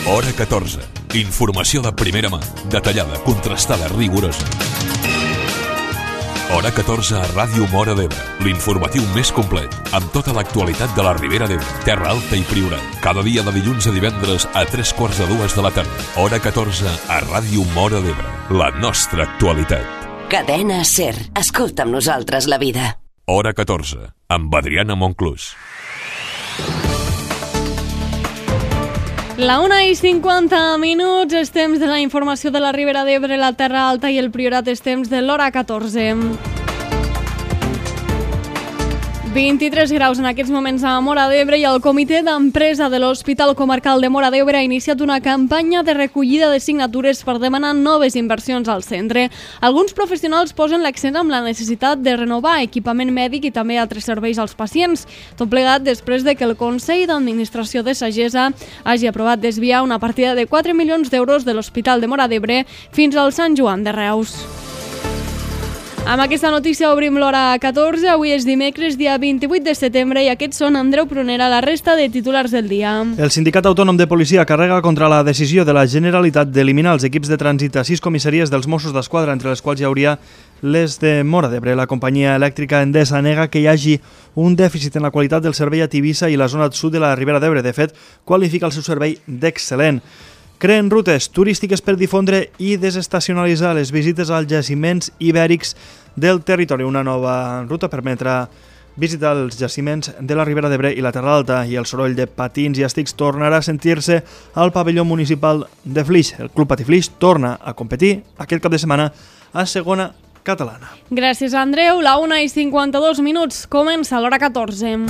Hora 14. Informació de primera mà, detallada, contrastada, rigorosa. Hora 14 a Ràdio Móra d'Ebre, l'informatiu més complet, amb tota l'actualitat de la Ribera d'Ebre, Terra Alta i Priorat. Cada dia de dilluns a divendres a 3:45 de la tarda. Hora 14 a Ràdio Móra d'Ebre, la nostra actualitat. Cadena SER. Escolta amb nosaltres la vida. Hora 14, amb Adriana Monclús. La 1:50, és temps de la informació de la Ribera d'Ebre, la Terra Alta i el Priorat, és temps de l'hora 14. 23 graus en aquests moments a Móra d'Ebre i el Comitè d'Empresa de l'Hospital Comarcal de Móra d'Ebre ha iniciat una campanya de recollida de signatures per demanar noves inversions al centre. Alguns professionals posen l'accent amb la necessitat de renovar equipament mèdic i també altres serveis als pacients. Tot plegat després de que el Consell d'Administració de Sagessa hagi aprovat desviar una partida de 4 milions d'euros de l'Hospital de Móra d'Ebre fins al Sant Joan de Reus. Amb aquesta notícia obrim l'hora 14. Avui és dimecres, dia 28 de setembre, i aquests són Andreu Prunera, la resta de titulars del dia. El Sindicat Autònom de Policia carrega contra la decisió de la Generalitat d'eliminar els equips de trànsit a 6 comissaries dels Mossos d'Esquadra, entre les quals hi hauria les de Móra d'Ebre. La companyia elèctrica Endesa nega que hi hagi un dèficit en la qualitat del servei a Tivissa i la zona sud de la Ribera d'Ebre. De fet, qualifica el seu servei d'excel·lent. Creen rutes turístiques per difondre i desestacionalitzar les visites als jaciments ibèrics del territori. Una nova ruta permetrà visitar els jaciments de la Ribera d'Ebre i la Terra Alta, i el soroll de patins i estics tornarà a sentir-se al pavelló municipal de Flix. El Club Patí Flix torna a competir aquest cap de setmana a segona catalana. Gràcies, Andreu. La 1:52, comença l'hora 14.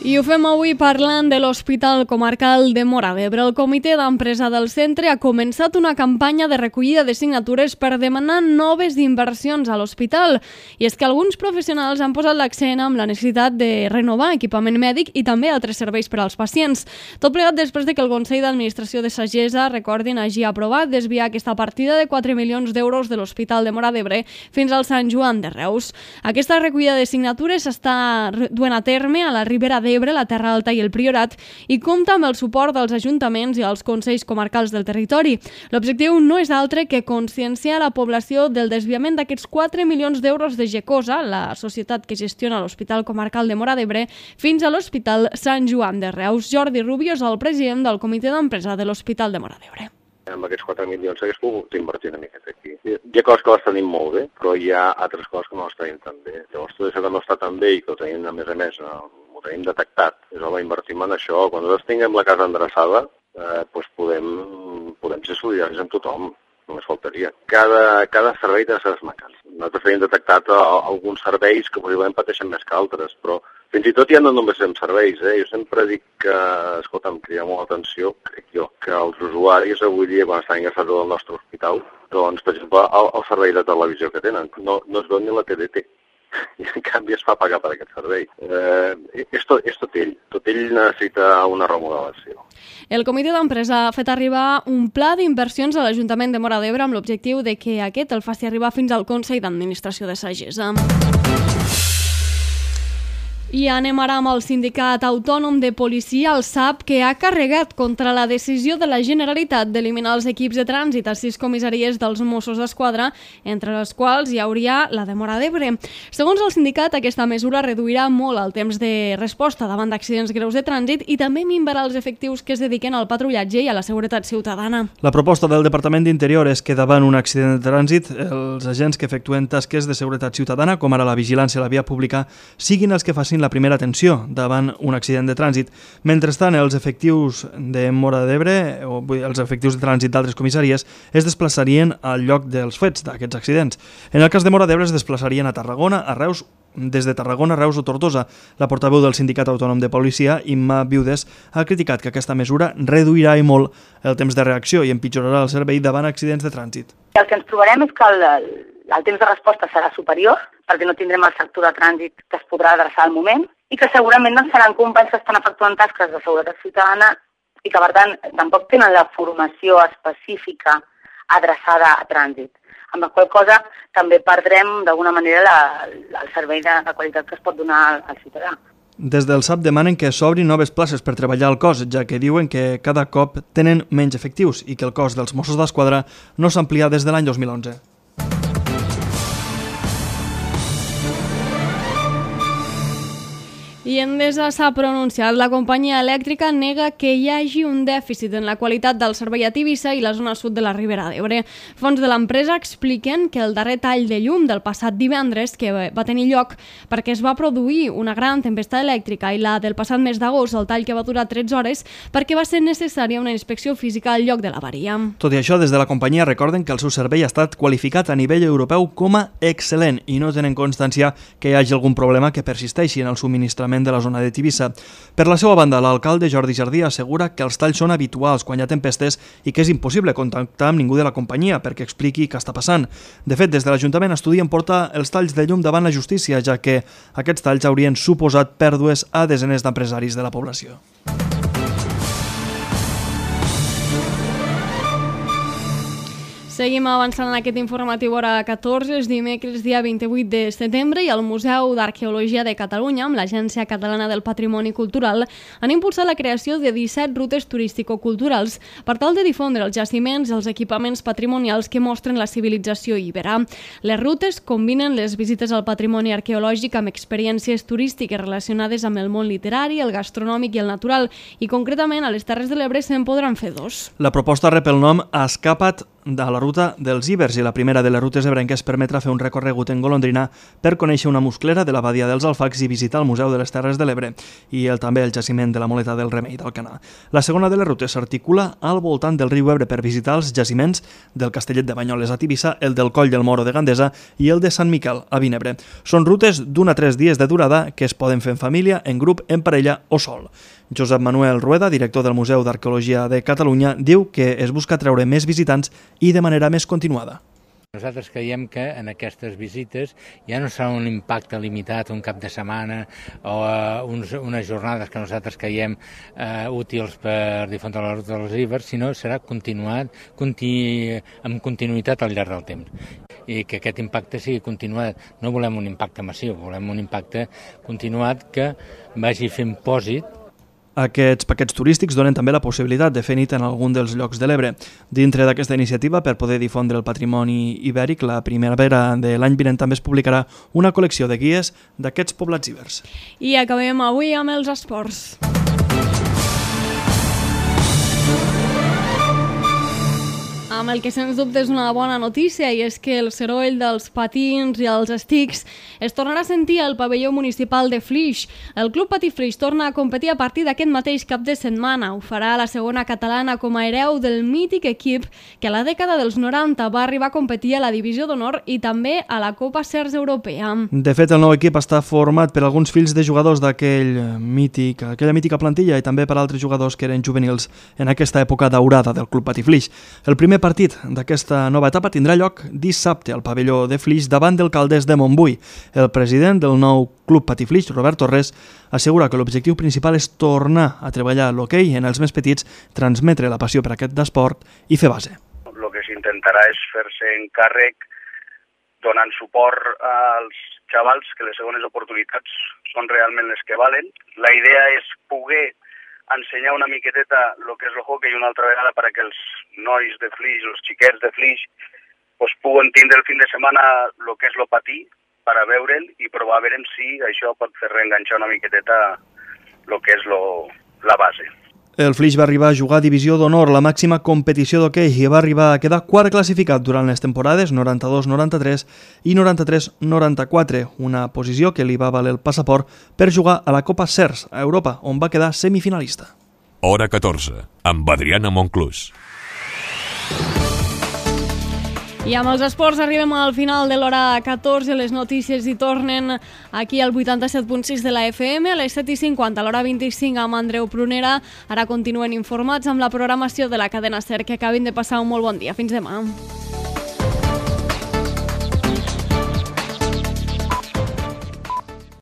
I ho fem avui parlant de l'Hospital Comarcal de Móra d'Ebre. El Comitè d'Empresa del centre ha començat una campanya de recollida de signatures per demanar noves inversions a l'hospital. I és que alguns professionals han posat l'accent amb la necessitat de renovar equipament mèdic i també altres serveis per als pacients. Tot plegat després de que el Consell d'Administració de Sagessa, recordin, hagi aprovat desviar aquesta partida de 4 milions d'euros de l'Hospital de Móra d'Ebre fins al Sant Joan de Reus. Aquesta recollida de signatures s'està duent a terme a la Ribera d'Ebre, la Terra Alta i el Priorat, i compta amb el suport dels ajuntaments i els consells comarcals del territori. L'objectiu no és altre que conscienciar la població del desviament d'aquests 4 milions d'euros de Gecosa, la societat que gestiona l'Hospital Comarcal de Móra d'Ebre, fins a l'Hospital Sant Joan de Reus. Jordi Rubio és el president del Comitè d'Empresa de l'Hospital de Móra d'Ebre. Amb aquests 4 milions s'hagués pogut invertir una miqueta aquí. Hi ha coses que les tenim molt bé, però hi ha altres coses que no les tenim tan bé. Llavors, tot això que no està tan bé i que ho tenim, a més, ho tenim detectat. És home, invertim en això. Quan nosaltres tinguem la casa endreçada, doncs podem ser solidaris amb tothom. Només faltaria. Cada servei té les seves mancances. Nosaltres tenim detectat alguns serveis que possiblement pateixen més que altres, però fins i tot ja no només en serveis. Jo sempre dic que, escolta, em crida molt l'atenció, crec jo, que els usuaris avui dia, quan estan ingressats al nostre hospital, doncs, per exemple, el servei de televisió que tenen, no es veu ni la TDT. I en canvi es fa pagar per aquest servei. És tot ell. Tot ell necessita una remodelació. El Comitè d'Empresa ha fet arribar un pla d'inversions a l'Ajuntament de Móra d'Ebre amb l'objectiu de que aquest el faci arribar fins al Consell d'Administració de Sagessa. I anem ara amb el Sindicat Autònom de Policia, el SAP, que ha carregat contra la decisió de la Generalitat d'eliminar els equips de trànsit a 6 comissaries dels Mossos d'Esquadra, entre les quals hi hauria la de Móra d'Ebre. Segons el sindicat, aquesta mesura reduirà molt el temps de resposta davant d'accidents greus de trànsit i també minvarà els efectius que es dediquen al patrullatge i a la seguretat ciutadana. La proposta del Departament d'Interior és que davant un accident de trànsit, els agents que efectuen tasques de seguretat ciutadana, com ara la vigilància a la via pública, siguin els que facin la primera atenció davant un accident de trànsit. Mentrestant, els efectius de Móra d'Ebre, o els efectius de trànsit d'altres comissaries, es desplaçarien al lloc dels fets d'aquests accidents. En el cas de Móra d'Ebre es desplaçarien a Tarragona, a Reus, des de Tarragona, Reus o Tortosa. La portaveu del Sindicat Autònom de Policia, Imma Viudes, ha criticat que aquesta mesura reduirà i molt el temps de reacció i empitjorarà el servei davant accidents de trànsit. El que ens trobarem és que el temps de resposta serà superior, perquè no tindrem el sector de trànsit que es podrà adreçar al moment, i que segurament no seran companys que estan efectuant tasques de seguretat ciutadana i que, per tant, tampoc tenen la formació específica adreçada a trànsit. Amb la qual cosa també perdrem, d'alguna manera, el servei de qualitat que es pot donar al ciutadà. Des del SAP demanen que s'obrin noves places per treballar al cos, ja que diuen que cada cop tenen menys efectius i que el cos dels Mossos d'Esquadra no s'ha ampliat des de l'any 2011. I Endesa s'ha pronunciat. La companyia elèctrica nega que hi hagi un dèficit en la qualitat del servei a Tivissa i la zona sud de la Ribera d'Ebre. Fons de l'empresa expliquen que el darrer tall de llum del passat divendres, que va tenir lloc perquè es va produir una gran tempesta elèctrica, i la del passat mes d'agost, el tall que va durar 13 hores, perquè va ser necessària una inspecció física al lloc de l'avaria. Tot i això, des de la companyia recorden que el seu servei ha estat qualificat a nivell europeu com a excel·lent i no tenen constància que hi hagi algun problema que persisteixi en el subministrament de la zona de Tivissa. Per la seva banda, l'alcalde Jordi Jardí assegura que els talls són habituals quan hi ha tempestes i que és impossible contactar amb ningú de la companyia perquè expliqui què està passant. De fet, des de l'Ajuntament estudien portar els talls de llum davant la justícia, ja que aquests talls haurien suposat pèrdues a desenes d'empresaris de la població. Seguim avançant en aquest informatiu hora 14, és dimecres, dia 28 de setembre, i el Museu d'Arqueologia de Catalunya, amb l'Agència Catalana del Patrimoni Cultural, han impulsat la creació de 17 rutes turístico-culturals per tal de difondre els jaciments i els equipaments patrimonials que mostren la civilització ibera. Les rutes combinen les visites al patrimoni arqueològic amb experiències turístiques relacionades amb el món literari, el gastronòmic i el natural, i concretament a les Terres de l'Ebre se'n podran fer dos. La proposta rep el nom Escapa't de la ruta dels Ibers, i la primera de les rutes ebrenques permetrà fer un recorregut en golondrina per conèixer una musclera de la badia dels Alfacs i visitar el Museu de les Terres de l'Ebre i també el jaciment de la Moleta del Remei d'Alcanar. La segona de les rutes s'articula al voltant del riu Ebre per visitar els jaciments del Castellet de Banyoles a Tivissa, el del Coll del Moro de Gandesa i el de Sant Miquel a Vinebre. Són rutes d'1 a 3 dies de durada que es poden fer en família, en grup, en parella o sol. Josep Manuel Rueda, director del Museu d'Arqueologia de Catalunya, diu que es busca treure més visitants i de manera més continuada. Nosaltres creiem que en aquestes visites ja no serà un impacte limitat, un cap de setmana o unes jornades que nosaltres creiem útils per difondre la ruta dels Ibers, sinó serà continuat, amb continuïtat al llarg del temps. I que aquest impacte sigui continuat. No volem un impacte massiu, volem un impacte continuat que vagi fent pòsit. Aquests paquets turístics donen també la possibilitat de fer nit en algun dels llocs de l'Ebre. Dintre d'aquesta iniciativa, per poder difondre el patrimoni ibèric, la primavera de l'any vinent també es publicarà una col·lecció de guies d'aquests poblats ibers. I acabem avui amb els esports. Amb el que sens dubte és una bona notícia, i és que el soroll dels patins i els estics es tornarà a sentir al pavelló municipal de Flix. El Club Patí Flix torna a competir a partir d'aquest mateix cap de setmana. Ho farà a la segona catalana com a hereu del mític equip que a la dècada dels 90 va arribar a competir a la Divisió d'Honor i també a la Copa Cers Europea. De fet, el nou equip està format per alguns fills de jugadors d'aquella mítica plantilla i també per altres jugadors que eren juvenils en aquesta època daurada del Club Patí Flix. El primer partit d'aquesta nova etapa tindrà lloc dissabte al pavelló de Flix davant del Calders de Montbui. El president del nou Club Patí Flix, Robert Torres, assegura que l'objectiu principal és tornar a treballar l'hoquei en els més petits, transmetre la passió per aquest esport i fer base. El que s'intentarà és fer-se encàrrec donant suport als xavals, que les segones oportunitats són realment les que valen. La idea és poder ensenyar una miqueteta el que és el hockey una altra vegada perquè els nois de Flix, els xiquets de Flix, puguen tindre el fin de setmana el que és el patí per a veure'l i provar a veure si això pot fer reenganxar una miqueteta el que és la base. El Flix va arribar a jugar a Divisió d'Honor, la màxima competició d'hoquei, i va arribar a quedar quart classificat durant les temporades 92-93 i 93-94, una posició que li va valer el passaport per jugar a la Copa Cers a Europa, on va quedar semifinalista. Hora 14, amb Adriana Monclús. I amb els esports arribem al final de l'hora 14. Les notícies hi tornen aquí al 87.6 de la FM, a les 7:50, a l'hora 25 amb Andreu Prunera. Ara continuen informats amb la programació de la cadena SER. Que acabin de passar un molt bon dia. Fins demà.